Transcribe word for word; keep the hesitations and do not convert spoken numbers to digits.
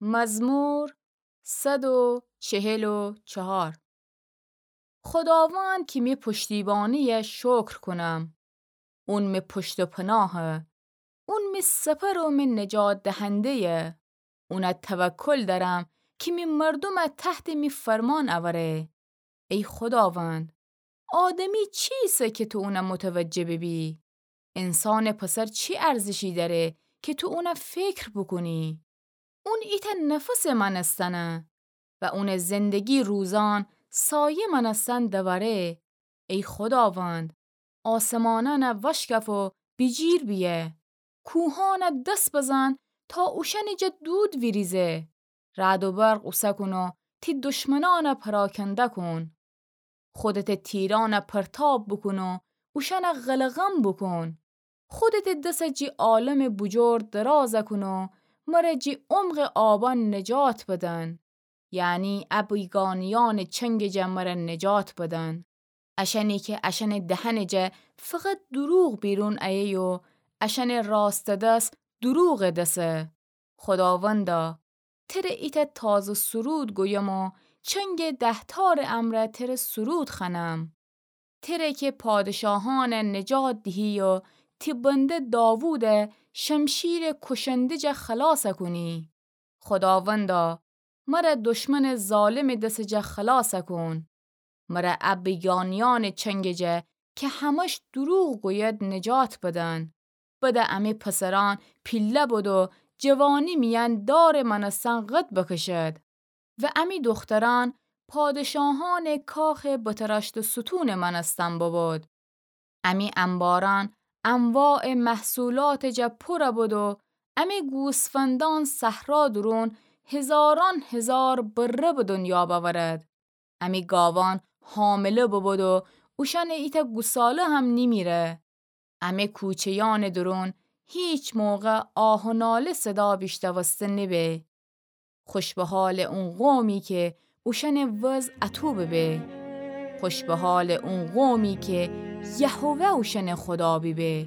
مزمور صد و چهل و چهار. خوداوند کی می پشتیبانی‌یه شکر کونم. اون می پشت و پناهه. اون می سپر و می نجات دهنده‌یه. اونه توکل دأرم کی می مردومه تحت می فرمان اوره. ای خوداوند، آدمی چیسه کی تو اونه متوجه ببی؟ انسانٚ پسر چی ارزشی دأره کی تو اونه فکر بوکونی؟ اون ایتأ نفسٚ مأنستنه و اونٚ زندگی روزان سایه مأنستن دوأره. ای خوداوند، آسمانأنه وشکف و بیجیر بیه. کوهأنه دس بزن تا اوشأنٚ جا دود ویریزه. رعد و برق اوسه کون و تی دشمنأنه پراکنده کون. خودتٚ تیرأنه پرتاب بوکون و اوشأنه قلقم بوکون. خودتٚ دسه جی عالمٚ بوجور درازه کون و مره جی عمقٚ آبأن نجات بدن. یعنی ا بیگانه‌یأنٚ چنگٚ جا مره نجات بدن. اشأنی کی اشأنٚ دهنٚ جا فقط دروغ بیرون ایه و اشأنٚ راستٚ دس دروغٚ دسه. خوداوندا، تره ایتأ تازه سرود گویم و چنگٚ دهتارٚ امرأ تره سرود خوأنم. تره کی پادشاهأنه نجات دیهی و تی بنده داووده شمشیرٚ کوشنده جا خلاص کونی. خوداوندا، مره دشمنٚ ظالمٚ دسٚ جا خلاص کون. مره ا بیگانه‌یأنٚ چنگٚ جا کی همش دروغ گوید نجات بدن. بده امی پسرأن پیله بد و جوانی میأن دارٚ مأنستن قد بکشد و امی دخترأن پادشاهأنٚ کاخٚ بتراشته ستونٚ مأنستن ببد. امی انبارأن انواعٚ محصولاتٚ جا پور بد و امی گوسفندأن صحرا دورون هزارأن هزار بره به دنیا بأورد. امی گاوأن حامله ببد و اوشأنٚ ایتأ گوساله هم نیمیره. امی کوچه‌یأنٚ دورون هیچ موقع آه و ناله صدا بیشنوسته نبه. خوش به حالٚ اون قومی کی اوشأنٚ وضع اطو ببه. خوش به حالٚ اون قومی کی یهوه اوشأنٚ خودا بیبه.